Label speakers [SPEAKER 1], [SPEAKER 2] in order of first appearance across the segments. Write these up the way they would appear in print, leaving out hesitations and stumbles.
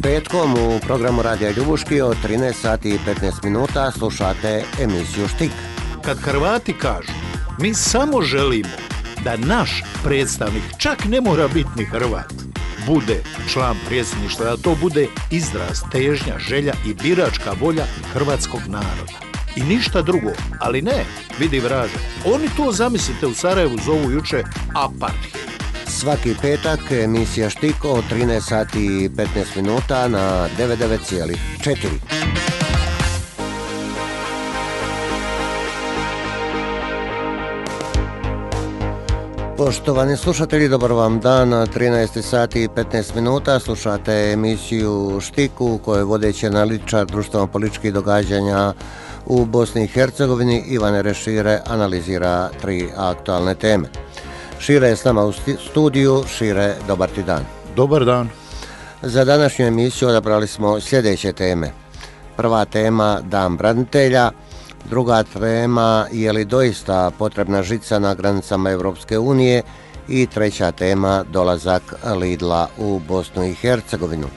[SPEAKER 1] Petkom u programu Radija Ljubuški od 13 sati i 15 minuta slušate emisiju Štik.
[SPEAKER 2] Kad Hrvati kažu, mi samo želimo da naš predstavnik, čak ne mora biti ni Hrvat, bude član predsjedništva, da to bude izraz, težnja, želja i biračka volja hrvatskog naroda. I ništa drugo, ali ne, vidi vraže, oni to, zamislite, u Sarajevu zovu juče apartheid.
[SPEAKER 1] Svaki petak emisija Štik od 13 sati i 15 minuta na 99,4. Poštovani slušatelji, dobar vam dan. 13 sati i 15 minuta slušate emisiju Štik u kojoj vodeći analitičar društveno-političkih događanja u Bosni i Hercegovini Ivan Rešire analizira 3 aktualne teme. Šire je s nama u studiju. Šire, dobar ti dan.
[SPEAKER 2] Dobar dan.
[SPEAKER 1] Za današnju emisiju odabrali smo sljedeće teme. Prva tema, Dan branitelja. Druga tema, je li doista potrebna žica na granicama Europske unije? I treća tema, dolazak Lidla u Bosnu i Hercegovinu.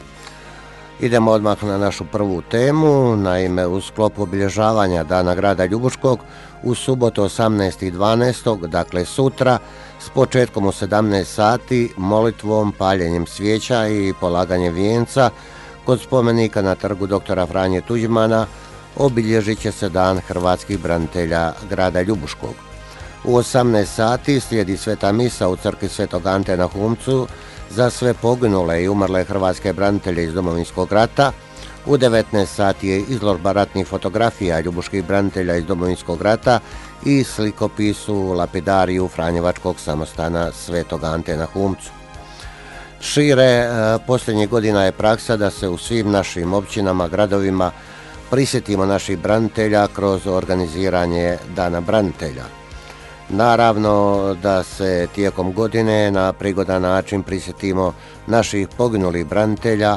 [SPEAKER 1] Idemo odmah na našu prvu temu. Naime, u sklopu obilježavanja Dana grada Ljubuškog u subotu 18.12., dakle sutra, s početkom u 17 sati, molitvom, paljenjem svijeća i polaganjem vijenca kod spomenika na trgu doktora Franje Tuđmana obilježit će se Dan hrvatskih branitelja grada Ljubuškog. U 18 sati slijedi sveta misa u crkvi Svetog Ante na Humcu za sve poginule i umrle hrvatske branitelje iz Domovinskog rata. U 19 sati je izložba ratnih fotografija ljubuških branitelja iz Domovinskog rata i slikopisu lapidariju Franjevačkog samostana Svetog Ante na Humcu. Šire, posljednjih godina je praksa da se u svim našim općinama, gradovima prisjetimo naših branitelja kroz organiziranje Dana branitelja. Naravno da se tijekom godine na prigodan način prisjetimo naših poginulih branitelja,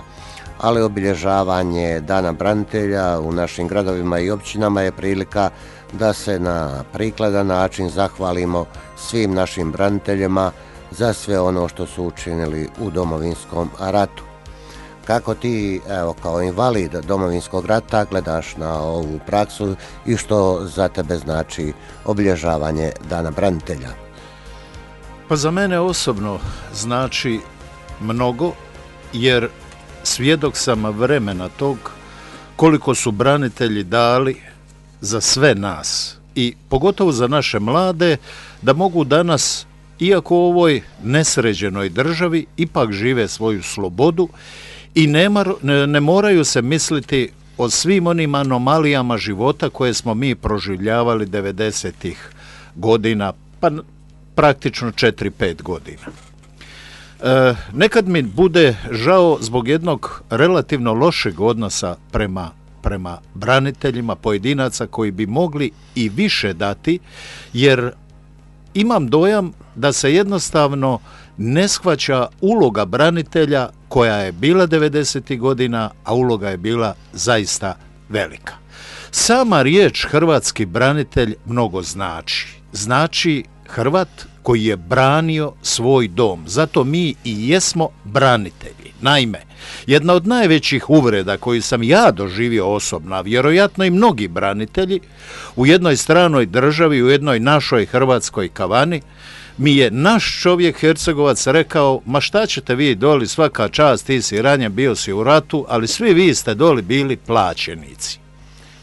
[SPEAKER 1] ali obilježavanje Dana branitelja u našim gradovima i općinama je prilika da se na prikladan način zahvalimo svim našim braniteljima za sve ono što su učinili u Domovinskom ratu. Kako ti, kao invalid Domovinskog rata, gledaš na ovu praksu i što za tebe znači obilježavanje Dana branitelja?
[SPEAKER 2] Pa za mene osobno znači mnogo, jer svjedok sam vremena tog koliko su branitelji dali za sve nas i pogotovo za naše mlade, da mogu danas, iako u ovoj nesređenoj državi, ipak žive svoju slobodu i ne moraju se misliti o svim onim anomalijama života koje smo mi proživljavali 90-ih godina, pa praktično 4-5 godina. Nekad mi bude žao zbog jednog relativno lošeg odnosa prema braniteljima, pojedinaca koji bi mogli i više dati, jer imam dojam da se jednostavno ne shvaća uloga branitelja koja je bila 90. godina, a uloga je bila zaista velika. Sama riječ hrvatski branitelj mnogo znači. Znači Hrvat koji je branio svoj dom. Zato mi i jesmo branitelji. Naime, jedna od najvećih uvreda koju sam ja doživio osobno, a vjerojatno i mnogi branitelji, u jednoj stranoj državi, u jednoj našoj hrvatskoj kavani, mi je naš čovjek Hercegovac rekao: ma šta ćete vi doli, svaka čast, ti si ranjen, bio si u ratu, ali svi vi ste doli bili plaćenici.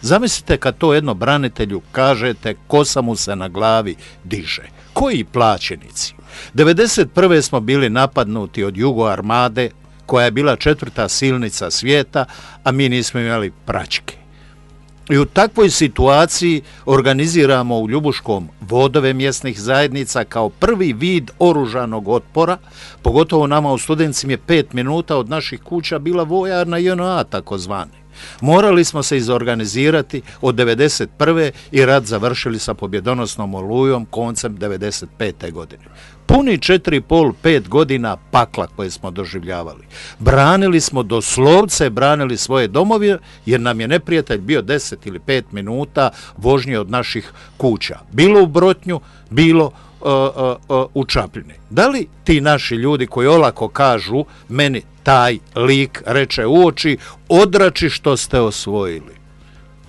[SPEAKER 2] Zamislite kad to jedno branitelju kažete, kosa mu se na glavi diže. Koji plaćenici? 91. smo bili napadnuti od Jugo armade, koja je bila 4. silnica svijeta, a mi nismo imali praćke. I u takvoj situaciji organiziramo u Ljubuškom vodove mjesnih zajednica kao prvi vid oružanog otpora, pogotovo nama u Studencima je 5 minuta od naših kuća bila vojarna JNA takozvane. Morali smo se izorganizirati od 91. i rat završili sa pobjedonosnom Olujom koncem 95. godine. Puni 4,5-5 godina pakla koje smo doživljavali. Branili smo, doslovce branili svoje domove, jer nam je neprijatelj bio 10 ili 5 minuta vožnje od naših kuća. Bilo u Brotnju, bilo u Čapljini. Da li ti naši ljudi koji olako kažu meni taj lik reče u oči, odrači što ste osvojili?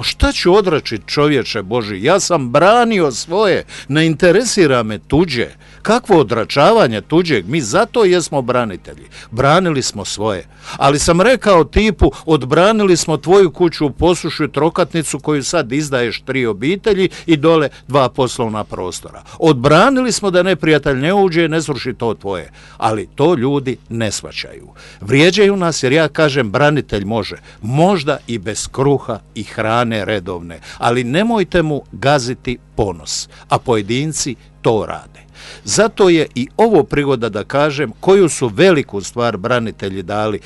[SPEAKER 2] Šta ću odračiti, čovječe Boži? Ja sam branio svoje, ne interesira me tuđe. Kakvo odračavanje tuđeg? Mi zato jesmo branitelji. Branili smo svoje. Ali sam rekao tipu, odbranili smo tvoju kuću u Posušju, trokatnicu koju sad izdaješ 3 obitelji i dole 2 poslovna prostora. Odbranili smo da neprijatelj ne uđe i ne sruši to tvoje. Ali to ljudi ne shvaćaju. Vrijeđaju nas jer ja kažem branitelj može. Možda i bez kruha i hrane redovne. Ali nemojte mu gaziti ponos. A pojedinci to rade. Zato je i ovo prigoda da kažem koju su veliku stvar branitelji dali,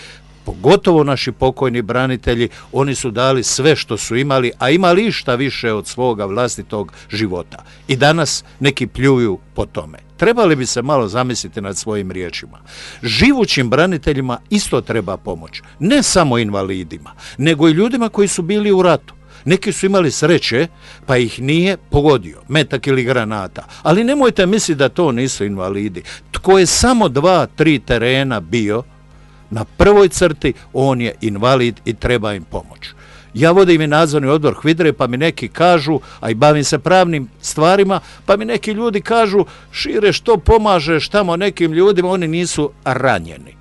[SPEAKER 2] pogotovo naši pokojni branitelji, oni su dali sve što su imali, a imali išta više od svoga vlastitog života. I danas neki pljuju po tome. Trebali bi se malo zamisliti nad svojim riječima. Živućim braniteljima isto treba pomoć. Ne samo invalidima, nego i ljudima koji su bili u ratu. Neki su imali sreće, pa ih nije pogodio metak ili granata. Ali nemojte misliti da to nisu invalidi. Tko je samo 2-3 terena bio na prvoj crti, on je invalid i treba im pomoć. Ja vodim i nadzorni odbor HVIDRA-e, pa mi neki kažu, a i bavim se pravnim stvarima, pa mi neki ljudi kažu, Šire, što pomažeš tamo nekim ljudima, oni nisu ranjeni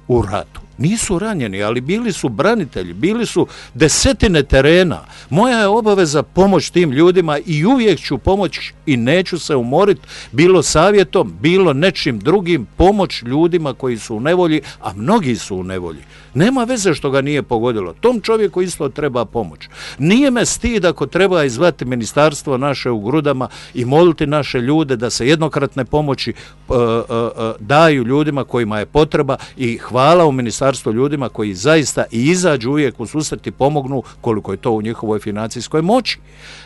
[SPEAKER 2] u ratu. Nisu ranjeni, ali bili su branitelji, bili su desetine terena. Moja je obaveza pomoć tim ljudima i uvijek ću pomoć i neću se umoriti, bilo savjetom, bilo nečim drugim, pomoć ljudima koji su u nevolji, a mnogi su u nevolji. Nema veze što ga nije pogodilo. Tom čovjeku isto treba pomoć. Nije me stid ako treba izvati ministarstvo naše u grudama i moliti naše ljude da se jednokratne pomoći daju ljudima kojima je potreba i hvala u ministarstvu ljudima koji zaista i izađu uvijek u susret i pomognu koliko je to u njihovoj financijskoj moći.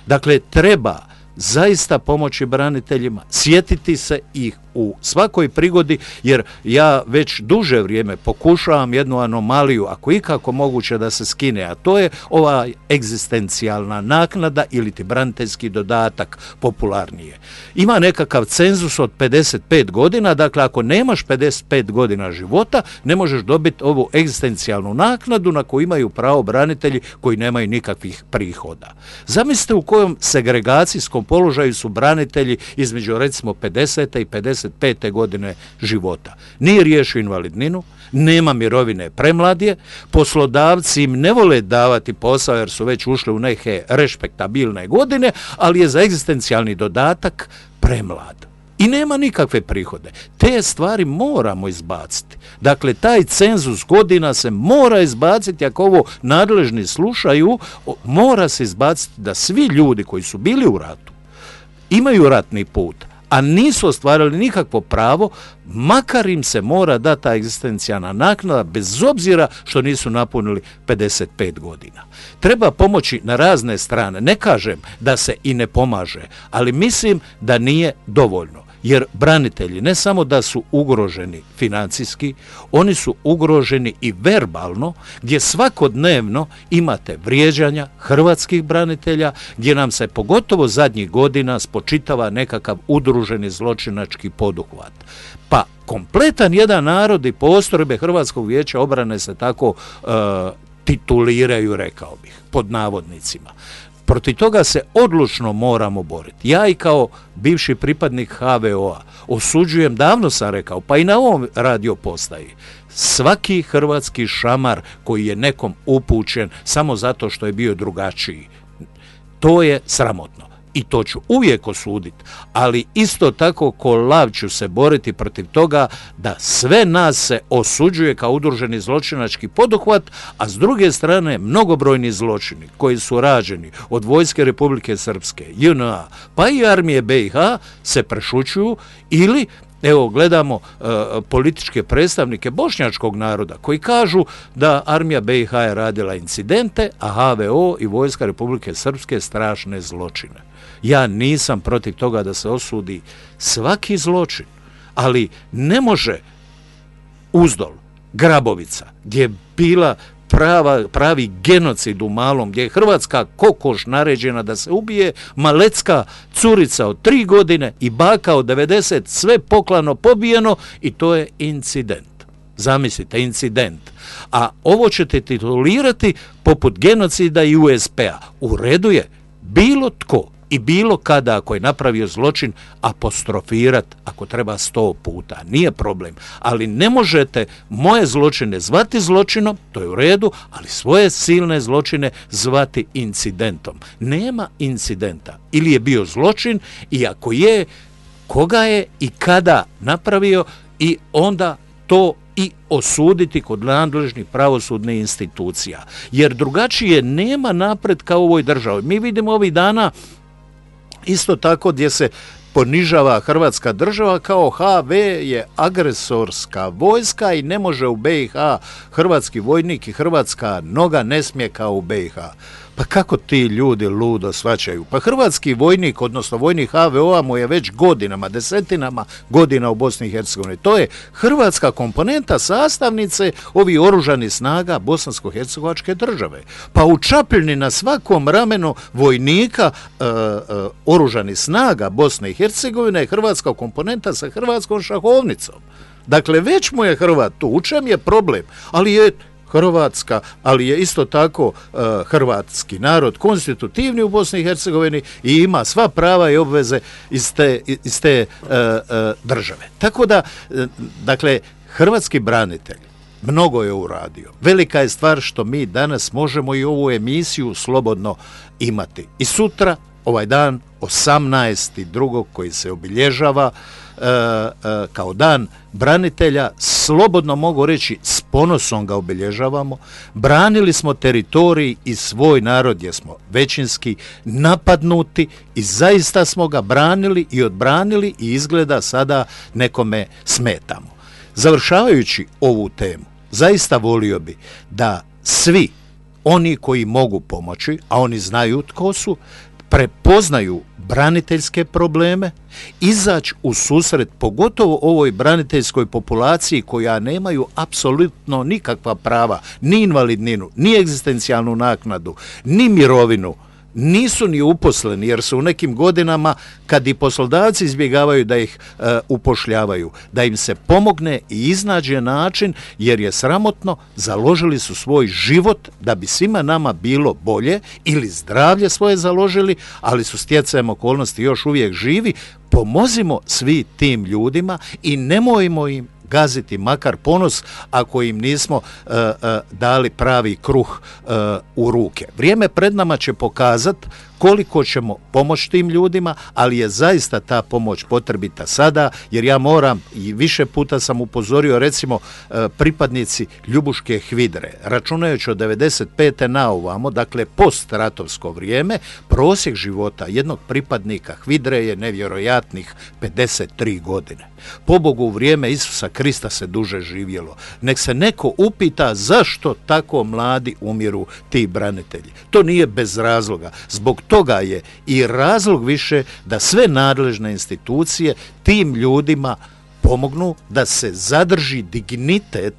[SPEAKER 2] Dakle, treba zaista pomoći braniteljima, sjetiti se ih u svakoj prigodi, jer ja već duže vrijeme pokušavam jednu anomaliju, ako ikako moguće da se skine, a to je ova egzistencijalna naknada ili ti braniteljski dodatak popularnije. Ima nekakav cenzus od 55 godina, dakle ako nemaš 55 godina života, ne možeš dobiti ovu egzistencijalnu naknadu na koju imaju pravo branitelji koji nemaju nikakvih prihoda. Zamislite u kojom segregacijskom položaju su branitelji između recimo 50. i 55. godine života. Nije riješio invalidninu, nema mirovine premladje, poslodavci im ne vole davati posao jer su već ušli u neke respektabilne godine, ali je za egzistencijalni dodatak premlad. I nema nikakve prihode. Te stvari moramo izbaciti. Dakle, taj cenzus godina se mora izbaciti, ako ovo nadležni slušaju, mora se izbaciti da svi ljudi koji su bili u ratu, imaju ratni put, a nisu ostvarili nikakvo pravo, makar im se mora dati ta egzistencijalna naknada, bez obzira što nisu napunili 55 godina. Treba pomoći na razne strane. Ne kažem da se i ne pomaže, ali mislim da nije dovoljno. Jer branitelji ne samo da su ugroženi financijski, oni su ugroženi i verbalno, gdje svakodnevno imate vrijeđanja hrvatskih branitelja, gdje nam se pogotovo zadnjih godina spočitava nekakav udruženi zločinački poduhvat. Pa kompletan jedan narod i postrojbe Hrvatskog vijeća obrane se tako tituliraju, rekao bih, pod navodnicima. Protiv toga se odlučno moramo boriti. Ja i kao bivši pripadnik HVO-a osuđujem, davno sam rekao, pa i na ovom radio postaji, svaki hrvatski šamar koji je nekom upućen samo zato što je bio drugačiji. To je sramotno. I to ću uvijek osuditi, ali isto tako ko lav ću se boriti protiv toga da sve nas se osuđuje kao udruženi zločinački poduhvat, a s druge strane mnogobrojni zločini koji su rađeni od Vojske Republike Srpske, JNA, pa i Armije BiH se prešućuju ili evo gledamo političke predstavnike bošnjačkog naroda koji kažu da Armija BiH je radila incidente, a HVO i Vojska Republike Srpske strašne zločine. Ja nisam protiv toga da se osudi svaki zločin, ali ne može Uzdol, Grabovica, gdje je bila pravi genocid u malom, gdje je hrvatska kokoš naređena da se ubije, malecka curica od 3 godine i baka od 90, sve poklano pobijeno i to je incident. Zamislite, incident. A ovo ćete titulirati poput genocida i USP-a. U redu je bilo tko i bilo kada ako je napravio zločin apostrofirat ako treba 100 puta. Nije problem. Ali ne možete moje zločine zvati zločinom, to je u redu, ali svoje silne zločine zvati incidentom. Nema incidenta. Ili je bio zločin i ako je, koga je i kada napravio i onda to i osuditi kod nadležnih pravosudnih institucija. Jer drugačije nema napretka u ovoj državi. Mi vidimo ovih dana isto tako gdje se ponižava Hrvatska država kao HV je agresorska vojska i ne može u BiH hrvatski vojnik i hrvatska noga ne smije kao u BiH. Pa kako ti ljudi ludo shvaćaju? Pa hrvatski vojnik, odnosno vojnik HVO-a mu je već godinama, desetinama godina u Bosni i Hercegovini. To je hrvatska komponenta sastavnice ovih oružanih snaga bosansko-hercegovačke države. Pa u Čapljini na svakom ramenu vojnika oružanih snaga Bosne i Hercegovine je hrvatska komponenta sa hrvatskom šahovnicom. Dakle, već mu je Hrvat tu. U čem je problem? Ali je Hrvatska, ali je isto tako hrvatski narod konstitutivni u Bosni i Hercegovini i ima sva prava i obveze iz te države. Tako da, dakle, hrvatski branitelj mnogo je uradio. Velika je stvar što mi danas možemo i ovu emisiju slobodno imati. I sutra, ovaj dan, 18.2. koji se obilježava kao dan branitelja, slobodno mogu reći s ponosom ga obilježavamo. Branili smo teritorij i svoj narod gdje smo većinski napadnuti i zaista smo ga branili i odbranili i izgleda sada nekome smetamo. Završavajući ovu temu, zaista volio bi da svi oni koji mogu pomoći, a oni znaju tko su, prepoznaju braniteljske probleme, izaći u susret pogotovo ovoj braniteljskoj populaciji koja nemaju apsolutno nikakva prava, ni invalidninu, ni egzistencijalnu naknadu, ni mirovinu, nisu ni uposleni jer su u nekim godinama kad i poslodavci izbjegavaju da ih upošljavaju, da im se pomogne i iznađe način jer je sramotno, založili su svoj život da bi svima nama bilo bolje ili zdravlje svoje založili, ali su stjecajem okolnosti još uvijek živi. Pomozimo svi tim ljudima i nemojmo im gaziti makar ponos ako im nismo dali pravi kruh u ruke. Vrijeme pred nama će pokazati koliko ćemo pomoći tim ljudima, ali je zaista ta pomoć potrebita sada, jer ja moram, i više puta sam upozorio, recimo pripadnici Ljubuške HVIDRE, računajući od 95. na ovamo, dakle postratovsko vrijeme, prosjek života jednog pripadnika HVIDRE je nevjerojatnih 53 godine. Pobogu u vrijeme Isusa Krista se duže živjelo. Nek se neko upita zašto tako mladi umiru ti branitelji. To nije bez razloga. Zbog toga je i razlog više da sve nadležne institucije tim ljudima pomognu da se zadrži dignitet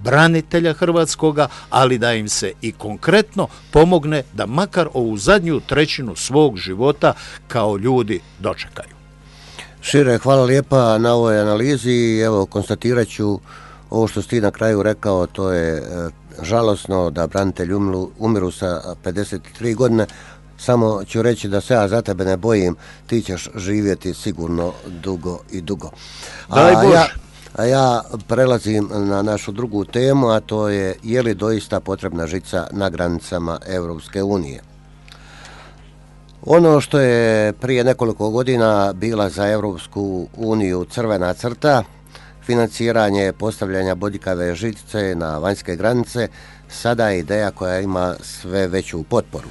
[SPEAKER 2] branitelja hrvatskoga, ali da im se i konkretno pomogne da makar ovu zadnju trećinu svog života kao ljudi dočekaju.
[SPEAKER 1] Šire, hvala lijepa na ovoj analizi. Evo, konstatirat ću ovo što si ti na kraju rekao, to je žalosno da branitelji umiru sa 53 godine. Samo ću reći da se ja za tebe ne bojim, ti ćeš živjeti sigurno dugo i dugo. A ja prelazim na našu drugu temu, a to je li doista potrebna žica na granicama Europske unije. Ono što je prije nekoliko godina bila za Europsku uniju crvena crta, financiranje postavljanja bodljikave žice na vanjske granice, sada je ideja koja ima sve veću potporu.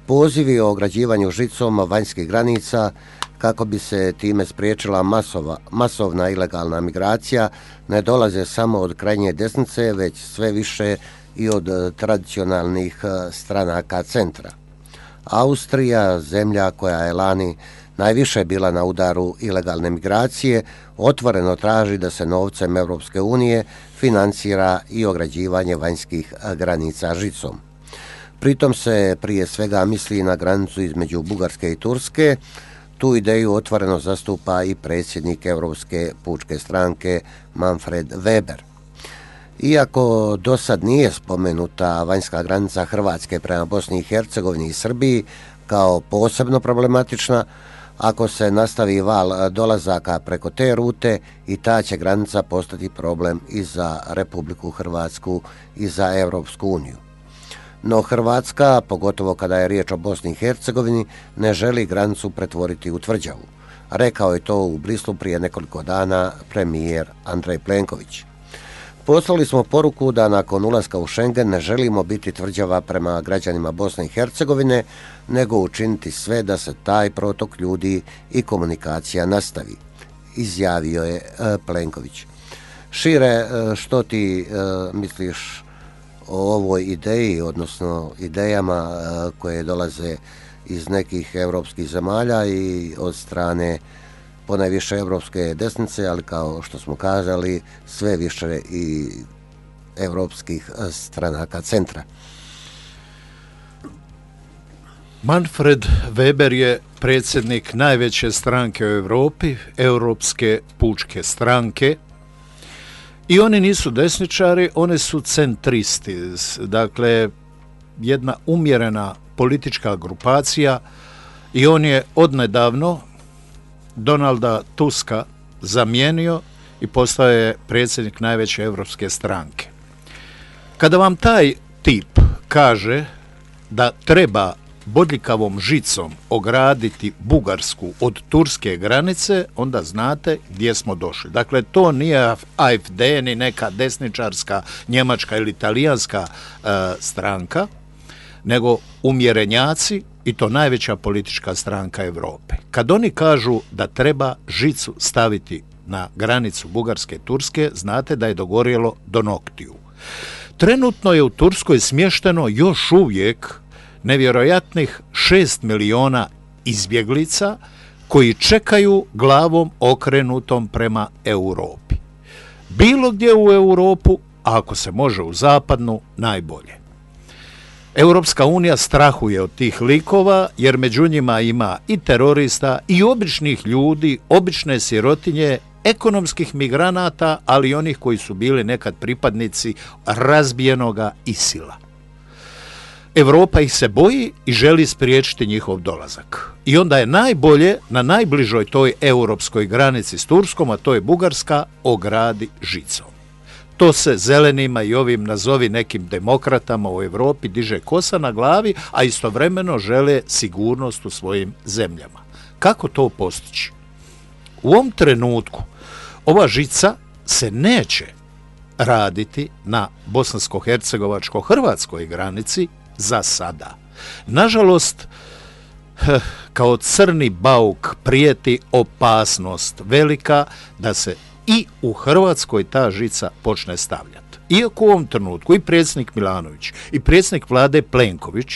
[SPEAKER 1] Pozivi o ograđivanju žicom vanjskih granica kako bi se time spriječila masovna ilegalna migracija ne dolaze samo od krajnje desnice, već sve više i od tradicionalnih stranaka centra. Austrija, zemlja koja je lani najviše bila na udaru ilegalne migracije, otvoreno traži da se novcem Europske unije financira i ograđivanje vanjskih granica žicom. Pritom se prije svega misli na granicu između Bugarske i Turske. Tu ideju otvoreno zastupa i predsjednik Europske pučke stranke Manfred Weber. Iako do sad nije spomenuta vanjska granica Hrvatske prema Bosni i Hercegovini i Srbiji kao posebno problematična, ako se nastavi val dolazaka preko te rute i ta će granica postati problem i za Republiku Hrvatsku i za Europsku uniju. No Hrvatska, pogotovo kada je riječ o Bosni i Hercegovini, ne želi granicu pretvoriti u tvrđavu. Rekao je to u Brislu prije nekoliko dana premijer Andrej Plenković. Poslali smo poruku da nakon ulaska u Schengen ne želimo biti tvrđava prema građanima Bosne i Hercegovine, nego učiniti sve da se taj protok ljudi i komunikacija nastavi, izjavio je Plenković. Šire, što ti misliš o ovoj ideji, odnosno idejama koje dolaze iz nekih europskih zemalja i od strane ponajviše europske desnice, ali kao što smo kazali, sve više i europskih stranaka centra?
[SPEAKER 2] Manfred Weber je predsjednik najveće stranke u Europi, Europske pučke stranke, i oni nisu desničari, oni su centristi, dakle jedna umjerena politička grupacija, i on je odnedavno Donalda Tuska zamijenio i postao je predsjednik najveće europske stranke. Kada vam taj tip kaže da treba bodljikavom žicom ograditi Bugarsku od turske granice, onda znate gdje smo došli. Dakle, to nije AfD ni neka desničarska njemačka ili talijanska stranka, nego umjerenjaci, i to najveća politička stranka Europe. Kad oni kažu da treba žicu staviti na granicu Bugarske i Turske, znate da je dogorjelo do noktiju. Trenutno je u Turskoj smješteno još uvijek nevjerojatnih 6 miliona izbjeglica koji čekaju glavom okrenutom prema Europi. Bilo gdje u Europu, a ako se može u zapadnu, najbolje. Europska unija strahuje od tih likova jer među njima ima i terorista i običnih ljudi, obične sirotinje, ekonomskih migranata, ali i onih koji su bili nekad pripadnici razbijenoga ISIL-a. Europa ih se boji i želi spriječiti njihov dolazak. I onda je najbolje na najbližoj toj europskoj granici s Turskom, a to je Bugarska, ogradi žicom. To se zelenima i ovim nazovi nekim demokratama u Europi diže kosa na glavi, a istovremeno žele sigurnost u svojim zemljama. Kako to postići? U ovom trenutku ova žica se neće raditi na bosansko-hercegovačko-hrvatskoj granici za sada. Nažalost, kao crni bauk prijeti opasnost velika da se i u Hrvatskoj ta žica počne stavljati. Iako u ovom trenutku i predsjednik Milanović i predsjednik vlade Plenković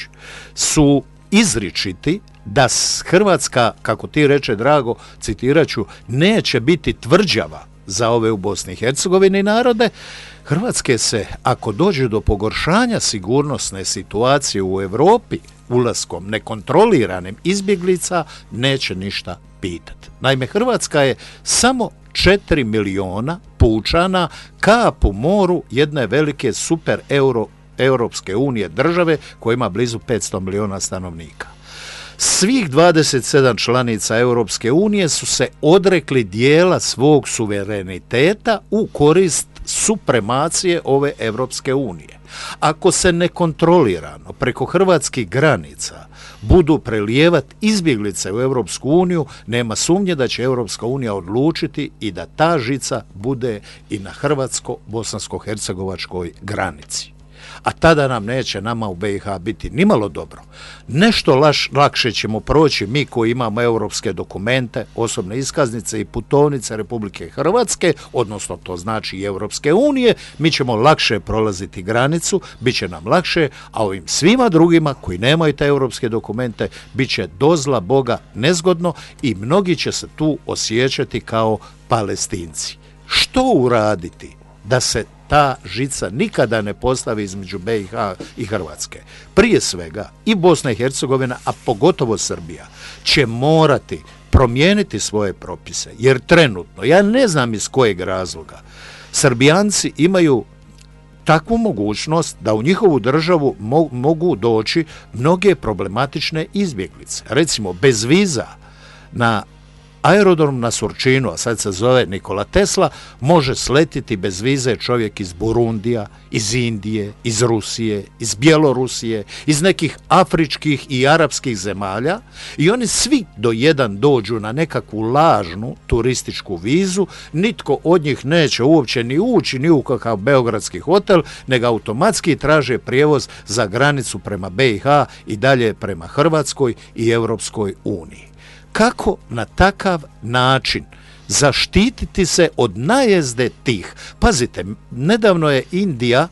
[SPEAKER 2] su izričiti da Hrvatska, kako ti reče Drago, citiraću, neće biti tvrđava za ove u Bosni i Hercegovini narode, Hrvatske se, ako dođe do pogoršanja sigurnosne situacije u Europi ulaskom nekontroliranim izbjeglica, neće ništa pitati. Naime, Hrvatska je samo 4 miliona pučana, kap u moru jedne velike super Europske unije države koja ima blizu 500 miliona stanovnika. Svih 27 članica Europske unije su se odrekli dijela svog suvereniteta u korist supremacije ove Europske unije. Ako se nekontrolirano preko hrvatskih granica budu prelijevati izbjeglice u Europsku uniju, nema sumnje da će Europska unija odlučiti i da ta žica bude i na hrvatsko-bosansko-hercegovačkoj granici. a tada nam neće nama u BiH biti nimalo dobro. Nešto lakše ćemo proći mi koji imamo europske dokumente, osobne iskaznice i putovnice Republike Hrvatske, odnosno to znači i Europske unije, mi ćemo lakše prolaziti granicu, bit će nam lakše, a ovim svima drugima koji nemaju te europske dokumente bit će do zla Boga nezgodno i mnogi će se tu osjećati kao Palestinci. Što uraditi da se ta žica nikada ne postavi između BiH i Hrvatske? Prije svega i Bosna i Hercegovina, a pogotovo Srbija, će morati promijeniti svoje propise, jer trenutno, ja ne znam iz kojeg razloga, Srbijanci imaju takvu mogućnost da u njihovu državu mogu doći mnoge problematične izbjeglice. Recimo, bez viza na aerodrom na Surčinu, a sad se zove Nikola Tesla, može sletiti bez vize čovjek iz Burundija, iz Indije, iz Rusije, iz Bjelorusije, iz nekih afričkih i arapskih zemalja i oni svi do jedan dođu na nekakvu lažnu turističku vizu, nitko od njih neće uopće ni ući ni u kakav beogradski hotel, nego automatski traže prijevoz za granicu prema BiH i dalje prema Hrvatskoj i Europskoj uniji. Kako na takav način zaštititi se od najezde tih? Pazite, nedavno je Indija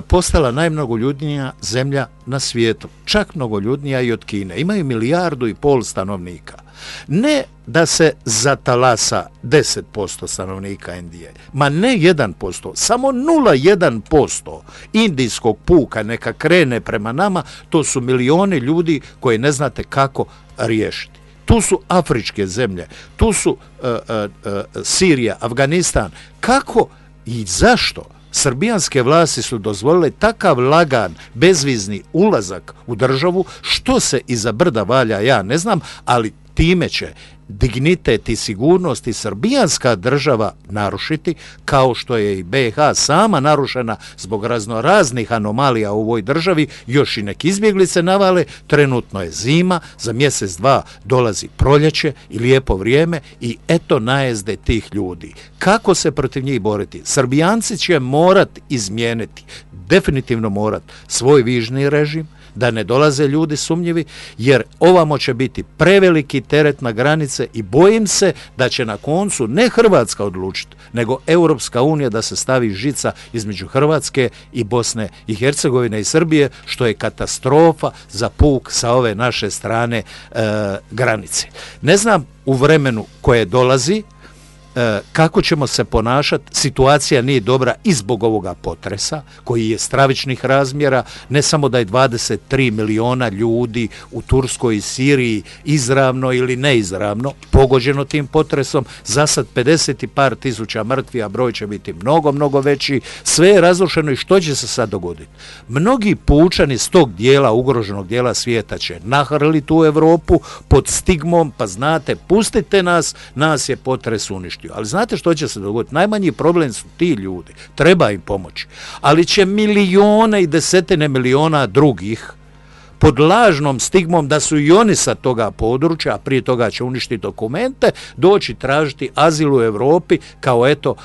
[SPEAKER 2] postala najmnogoljudnija zemlja na svijetu, čak mnogoljudnija i od Kine. Imaju 1,5 milijardu stanovnika. Ne da se zatalasa 10% stanovnika Indije, ma ne 1%, samo 0,1% indijskog puka neka krene prema nama, to su milioni ljudi koje ne znate kako riješiti. Tu su afričke zemlje, tu su Sirija, Afganistan. Kako i zašto srbijanske vlasti su dozvolile takav lagan, bezvizni ulazak u državu, što se iza brda valja, ja ne znam, ali time će dignitet i sigurnost i srbijanska država narušiti, kao što je i BiH sama narušena zbog raznoraznih anomalija u ovoj državi, još i neki izbjeglice navale, trenutno je zima, za mjesec, dva dolazi proljeće i lijepo vrijeme i eto najezde tih ljudi. Kako se protiv njih boriti? Srbijanci će morat izmijeniti, definitivno morat svoj vižni režim, da ne dolaze ljudi sumnjivi, jer ovamo će biti preveliki teret na granice i bojim se da će na koncu ne Hrvatska odlučiti, nego Europska unija da se stavi žica između Hrvatske i Bosne i Hercegovine i Srbije, što je katastrofa za puk sa ove naše strane granice. Ne znam u vremenu koje dolazi kako ćemo se ponašati, situacija nije dobra i zbog ovoga potresa koji je stravičnih razmjera, ne samo da je 23 miliona ljudi u Turskoj i Siriji izravno ili neizravno pogođeno tim potresom, za sad 50 i par tisuća mrtvi, a broj će biti mnogo, mnogo veći, sve je razrušeno i što će se sad dogoditi? Mnogi pučani s tog dijela, ugroženog dijela svijeta će nahrliti u Europu pod stigmom, pa znate, pustite nas, nas je potres uništio. Ali znate što će se dogoditi? Najmanji problem su ti ljudi, treba im pomoći. Ali će milijone i desetine miliona drugih pod lažnom stigmom da su i oni sa toga područja, a prije toga će uništiti dokumente, doći tražiti azil u Europi kao eto,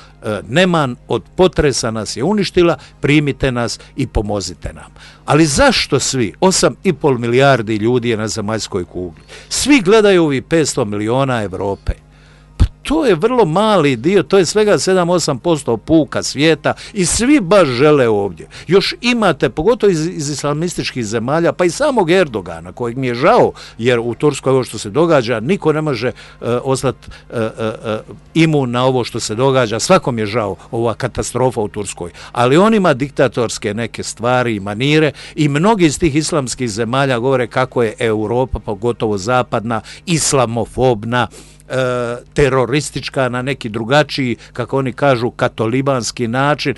[SPEAKER 2] neman od potresa nas je uništila, primite nas i pomozite nam. Ali zašto svi? 8,5 milijardi ljudi je na zemaljskoj kugli. Svi gledaju ovih 500 miliona Europe. To je vrlo mali dio, to je svega 7-8% puka svijeta i svi baš žele ovdje. Još imate, pogotovo iz islamističkih zemalja, pa i samog Erdogana, kojeg mi je žao, jer u Turskoj ovo što se događa, niko ne može ostati imun na ovo što se događa, svakom je žao ova katastrofa u Turskoj. Ali on ima diktatorske neke stvari i manire i mnogi iz tih islamskih zemalja govore kako je Europa, pogotovo zapadna, islamofobna, teroristička na neki drugačiji, kako oni kažu, katolibanski način,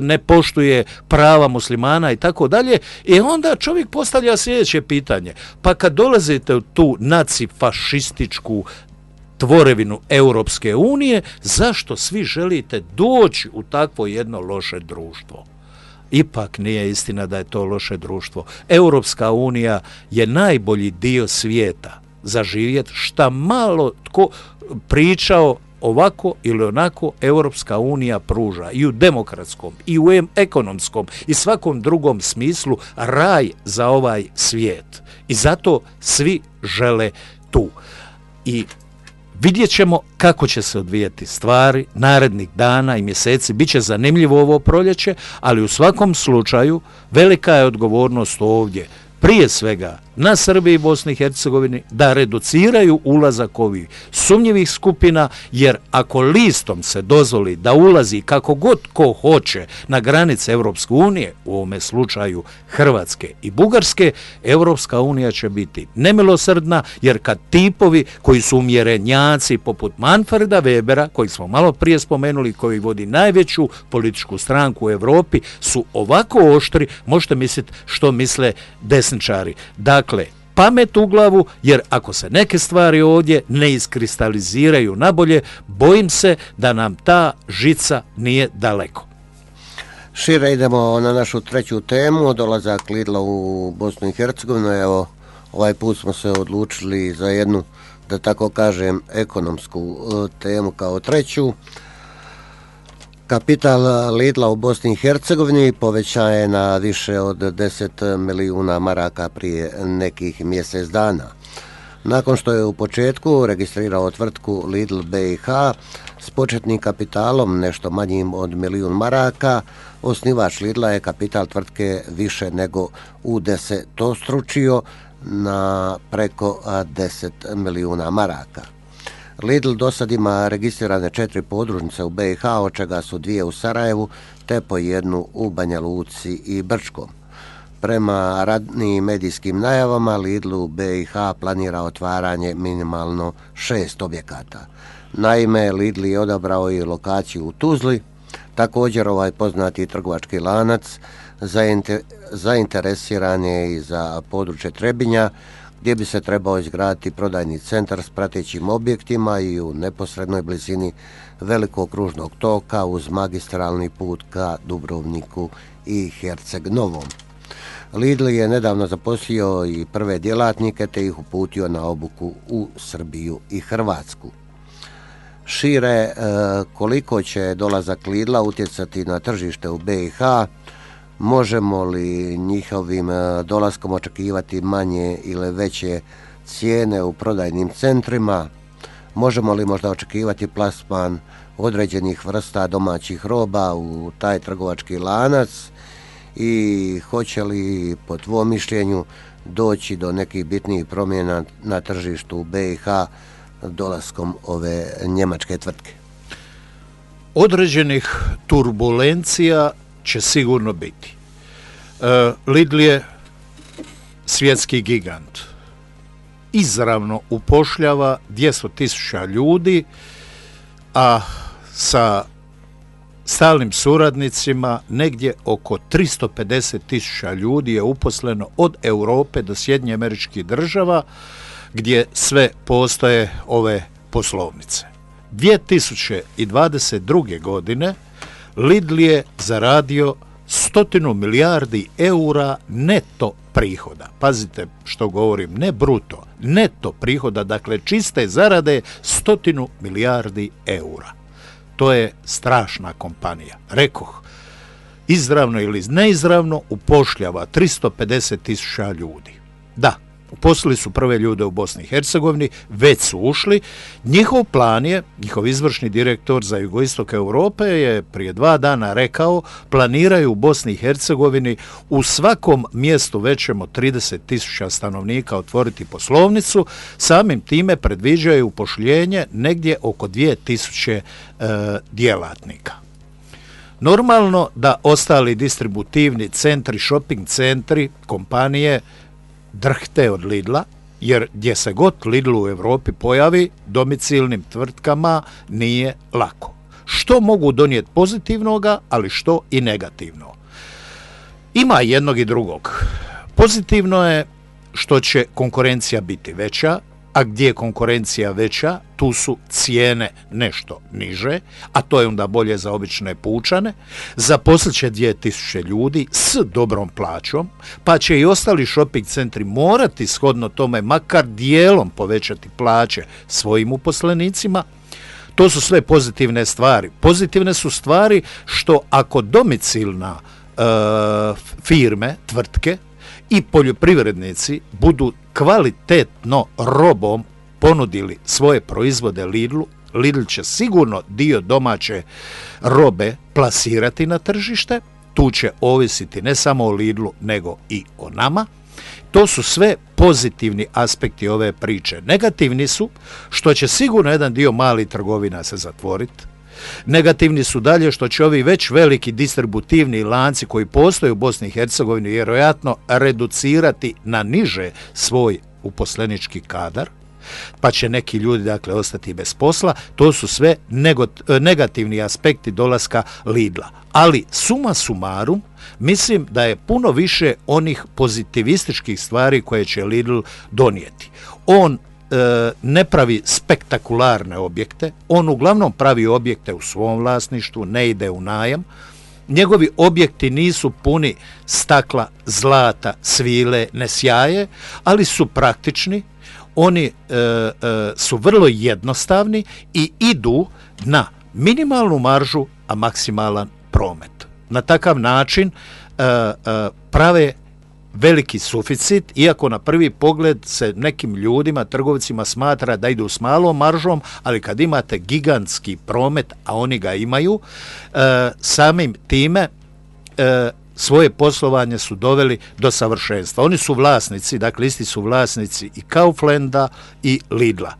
[SPEAKER 2] ne poštuje prava muslimana i tako dalje. I onda čovjek postavlja sljedeće pitanje. Pa kad dolazite u tu nacifašističku tvorevinu Europske unije, zašto svi želite doći u takvo jedno loše društvo? Ipak nije istina da je to loše društvo. Europska unija je najbolji dio svijeta za živjeti, šta malo tko pričao ovako ili onako Europska unija pruža i u demokratskom i u ekonomskom i svakom drugom smislu raj za ovaj svijet. I zato svi žele tu. I vidjet ćemo kako će se odvijati stvari narednih dana i mjeseci. Biće zanimljivo ovo proljeće, ali u svakom slučaju velika je odgovornost ovdje, prije svega na Srbiji i Bosni i Hercegovini, da reduciraju ulazak ovih sumnjivih skupina, jer ako listom se dozvoli da ulazi kako god ko hoće na granice Europske unije, u ovome slučaju Hrvatske i Bugarske, Europska unija će biti nemilosrdna, jer kad tipovi koji su umjerenjaci poput Manfreda Webera, koji smo malo prije spomenuli, koji vodi najveću političku stranku u Europi, su ovako oštri, možete misliti što misle desničari. Dakle, pamet u glavu, jer ako se neke stvari ovdje ne iskristaliziraju nabolje, bojim se da nam ta žica nije daleko.
[SPEAKER 1] Šire idemo na našu treću temu, dolazak Lidla u Bosnu i Hercegovinu. Evo, ovaj put smo se odlučili za jednu, da tako kažem, ekonomsku temu kao treću. Kapital Lidla u Bosni i Hercegovini povećan je na više od 10 milijuna maraka prije nekih mjesec dana. Nakon što je u početku registrirao tvrtku Lidl BiH s početnim kapitalom nešto manjim od milijun maraka, osnivač Lidla je kapital tvrtke više nego udesetostručio na preko 10 milijuna maraka. Lidl do sad ima registrirane 4 podružnice u BiH, od čega su 2 u Sarajevu, te po 1 u Banja Luci i Brčkom. Prema radnim medijskim najavama, Lidl u BiH planira otvaranje minimalno 6 objekata. Naime, Lidl je odabrao i lokaciju u Tuzli. Također ovaj poznati trgovački lanac zainteresiran je i za područje Trebinja, gdje bi se trebao izgraditi prodajni centar s pratećim objektima i u neposrednoj blizini velikog kružnog toka uz magistralni put ka Dubrovniku i Herceg Novom. Lidl je nedavno zaposlio i prve djelatnike te ih uputio na obuku u Srbiju i Hrvatsku. Šire, koliko će dolazak Lidla utjecati na tržište u BiH? Možemo li njihovim dolaskom očekivati manje ili veće cijene u prodajnim centrima? Možemo li možda očekivati plasman određenih vrsta domaćih roba u taj trgovački lanac? I hoće li, po tvom mišljenju, doći do nekih bitnijih promjena na tržištu u BiH dolaskom ove njemačke tvrtke?
[SPEAKER 2] Određenih turbulencija će sigurno biti. Lidl je svjetski gigant. Izravno upošljava 200.000 ljudi, a sa stalnim suradnicima negdje oko 350.000 ljudi je uposleno od Europe do Sjedinjenih Američkih Država, gdje sve postoje ove poslovnice. 2022. godine Lidl je zaradio 100 milijardi eura neto prihoda. Pazite što govorim, ne bruto, neto prihoda, dakle čiste zarade 100 milijardi eura. To je strašna kompanija. Rekoh, izravno ili neizravno upošljava 350.000 ljudi. Da, uposlili su prve ljude u Bosni i Hercegovini, već su ušli. Njihov plan je, njihov izvršni direktor za jugoistok Europe je prije 2 dana rekao, planiraju u Bosni i Hercegovini u svakom mjestu većem od 30.000 stanovnika otvoriti poslovnicu, samim time predviđaju upošljenje negdje oko 2.000 djelatnika. Normalno da ostali distributivni centri, shopping centri, kompanije drhte od Lidla, jer gdje se god Lidl u Europi pojavi, domicilnim tvrtkama nije lako. Što mogu donijeti pozitivnoga, ali što i negativno. Ima jednog i drugog. Pozitivno je što će konkurencija biti veća, a gdje je konkurencija veća, tu su cijene nešto niže, a to je onda bolje za obične pučane. Zaposlit će 2.000 ljudi s dobrom plaćom, pa će i ostali shopping centri morati shodno tome makar dijelom povećati plaće svojim uposlenicima. To su sve pozitivne stvari. Pozitivne su stvari što ako domicilna firme, tvrtke i poljoprivrednici budu kvalitetno robom ponudili svoje proizvode Lidlu, Lidl će sigurno dio domaće robe plasirati na tržište, tu će ovisiti ne samo o Lidlu nego i o nama. To su sve pozitivni aspekti ove priče. Negativni su što će sigurno jedan dio malih trgovina se zatvoriti. Negativni su dalje što će ovi već veliki distributivni lanci koji postoje u Bosni i Hercegovini vjerojatno reducirati na niže svoj uposlenički kadar, pa će neki ljudi dakle ostati bez posla. To su sve negativni aspekti dolaska Lidla. Ali suma sumarum, mislim da je puno više onih pozitivističkih stvari koje će Lidl donijeti. On ne pravi spektakularne objekte, on uglavnom pravi objekte u svom vlasništvu, ne ide u najam. Njegovi objekti nisu puni stakla, zlata, svile, ne sjaje, ali su praktični. Oni su vrlo jednostavni i idu na minimalnu maržu, a maksimalan promet. Na takav način prave veliki suficit, iako na prvi pogled se nekim ljudima, trgovcima smatra da idu s malom maržom, ali kad imate gigantski promet, a oni ga imaju, samim time svoje poslovanje su doveli do savršenstva. Oni su vlasnici, dakle isti su vlasnici i Kauflanda i Lidla.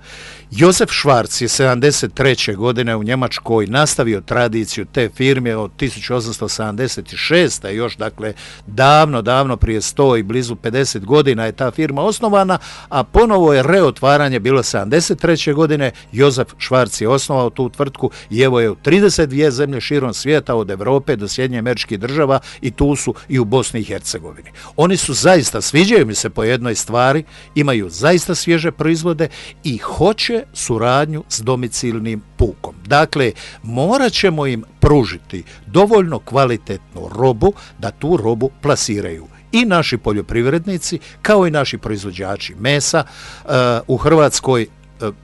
[SPEAKER 2] Josef Schwarz je 73. godine u Njemačkoj nastavio tradiciju te firme od 1876. još dakle davno prije 100 i blizu 50 godina je ta firma osnovana, a ponovo je reotvaranje bilo 73. godine. Josef Schwarz je osnovao tu tvrtku i evo je u 32 zemlje širom svijeta od Europe do Sjedinjenih Američkih Država i tu su i u Bosni i Hercegovini. Oni su zaista, sviđaju mi se po jednoj stvari, imaju zaista svježe proizvode i hoće suradnju s domicilnim pukom. Dakle, morat ćemo im pružiti dovoljno kvalitetnu robu da tu robu plasiraju i naši poljoprivrednici kao i naši proizvođači mesa. U Hrvatskoj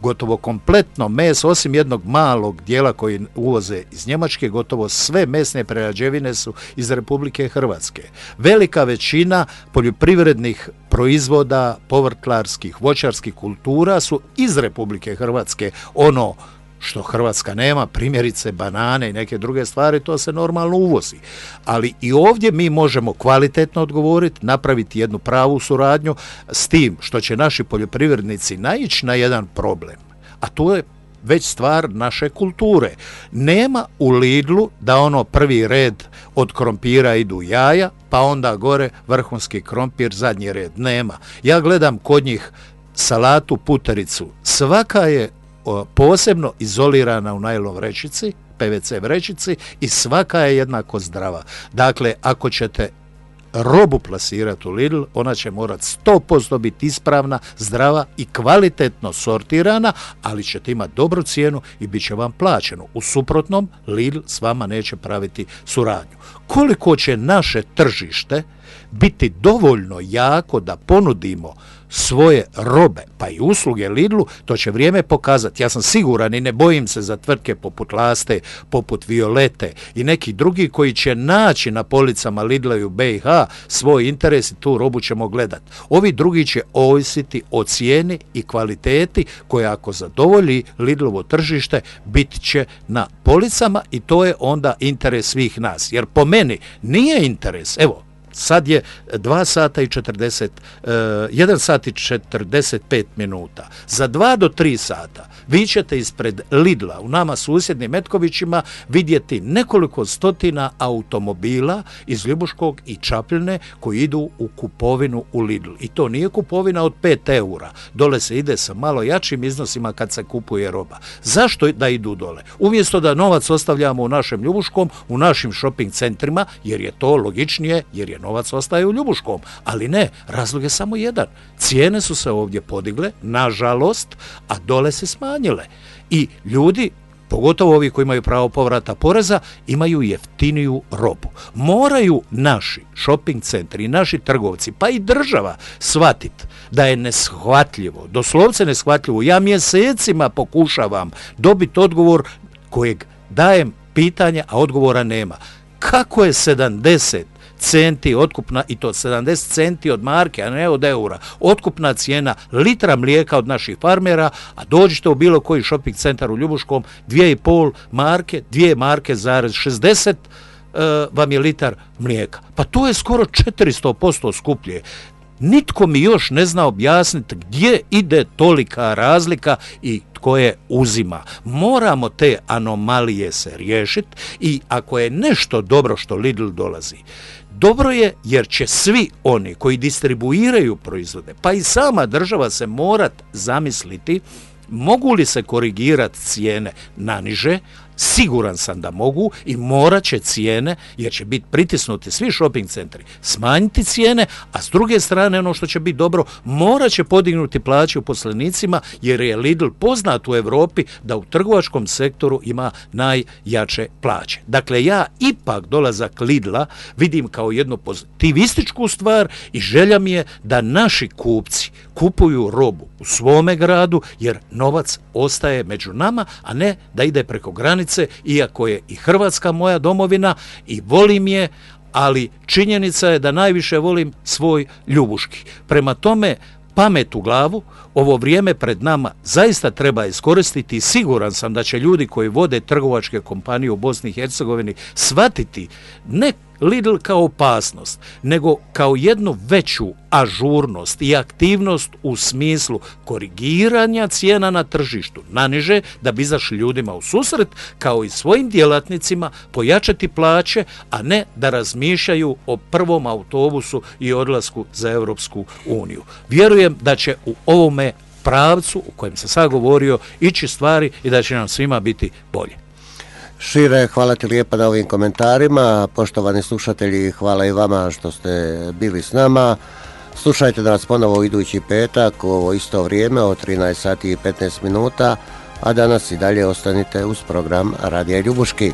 [SPEAKER 2] gotovo kompletno meso, osim jednog malog dijela koji uvoze iz Njemačke, gotovo sve mesne prerađevine su iz Republike Hrvatske. Velika većina poljoprivrednih proizvoda, povrtlarskih, voćarskih kultura su iz Republike Hrvatske. Ono što Hrvatska nema, primjerice banane i neke druge stvari, to se normalno uvozi. Ali i ovdje mi možemo kvalitetno odgovoriti, napraviti jednu pravu suradnju s tim što će naši poljoprivrednici naići na jedan problem, a to je već stvar naše kulture. Nema u Lidlu da ono prvi red od krompira idu jaja, pa onda gore vrhunski krompir, zadnji red. Nema. Ja gledam kod njih salatu, putericu, svaka je posebno izolirana u najlon vrećici, PVC vrećici i svaka je jednako zdrava. Dakle, ako ćete robu plasirati u Lidl, ona će morati 100% biti ispravna, zdrava i kvalitetno sortirana, ali ćete imati dobru cijenu i bit će vam plaćeno. U suprotnom, Lidl s vama neće praviti suradnju. Koliko će naše tržište biti dovoljno jako da ponudimo svoje robe, pa i usluge Lidlu, to će vrijeme pokazati. Ja sam siguran i ne bojim se za tvrtke poput Laste, poput Violete i neki drugi koji će naći na policama Lidla i u BiH svoj interes i tu robu ćemo gledati. Ovi drugi će ovisiti o cijeni i kvaliteti koja ako zadovolji Lidlovo tržište bit će na policama i to je onda interes svih nas. Jer po meni nije interes, evo, sad je 1 sat i 45 minuta. Za 2 do 3 sata vi ćete ispred Lidla u nama susjednim Metkovićima vidjeti nekoliko stotina automobila iz Ljubuškog i Čapljine koji idu u kupovinu u Lidl. I to nije kupovina od 5 eura. Dole se ide sa malo jačim iznosima kad se kupuje roba. Zašto da idu dole? Umjesto da novac ostavljamo u našem Ljubuškom, u našim shopping centrima, jer je to logičnije, jer je novac ostaje u Ljubuškom. Ali ne, razlog je samo jedan. Cijene su se ovdje podigle, nažalost, a dole se smanjile. I ljudi pogotovo ovi koji imaju pravo povrata poreza, imaju jeftiniju robu. Moraju naši shopping centri i naši trgovci, pa i država, shvatiti da je neshvatljivo, doslovce neshvatljivo. Ja mjesecima pokušavam dobiti odgovor kojeg dajem pitanje, a odgovora nema. Kako je 70 centi otkupna, i to 70 centi od marke, a ne od eura, otkupna cijena litra mlijeka od naših farmera, a dođite u bilo koji shopping centar u Ljubuškom, 2,5 marke, 2 marke zarez 60 vam je litar mlijeka. Pa to je skoro 400% skuplje. Nitko mi još ne zna objasniti gdje ide tolika razlika i tko je uzima. Moramo te anomalije se riješiti i ako je nešto dobro što Lidl dolazi, dobro je jer će svi oni koji distribuiraju proizvode, pa i sama država se morat zamisliti mogu li se korigirati cijene na niže. Siguran sam da mogu i morat će cijene, jer će biti pritisnuti svi shopping centri, smanjiti cijene, a s druge strane ono što će biti dobro, morat će podignuti plaće uposlenicima, jer je Lidl poznat u Europi da u trgovačkom sektoru ima najjače plaće. Dakle, ja ipak dolazak Lidla vidim kao jednu pozitivističku stvar i želja mi je da naši kupci kupuju robu u svome gradu, jer novac ostaje među nama, a ne da ide preko granice, iako je i Hrvatska moja domovina i volim je, ali činjenica je da najviše volim svoj Ljubuški. Prema tome, pamet u glavu, ovo vrijeme pred nama zaista treba iskoristiti i siguran sam da će ljudi koji vode trgovačke kompanije u Bosni i Hercegovini shvatiti ne Lidl kao opasnost, nego kao jednu veću ažurnost i aktivnost u smislu korigiranja cijena na tržištu naniže, da bi izašli ljudima u susret, kao i svojim djelatnicima pojačati plaće, a ne da razmišljaju o prvom autobusu i odlasku za Europsku uniju. Vjerujem da će u ovome pravcu u kojem sam sad govorio ići stvari i da će nam svima biti bolje.
[SPEAKER 1] Šire, hvala ti lijepa na ovim komentarima. Poštovani slušatelji, hvala i vama što ste bili s nama. Slušajte nas ponovo idući petak u ovo isto vrijeme od 13 sati i 15 minuta, a danas i dalje ostanite uz program Radija Ljubuški.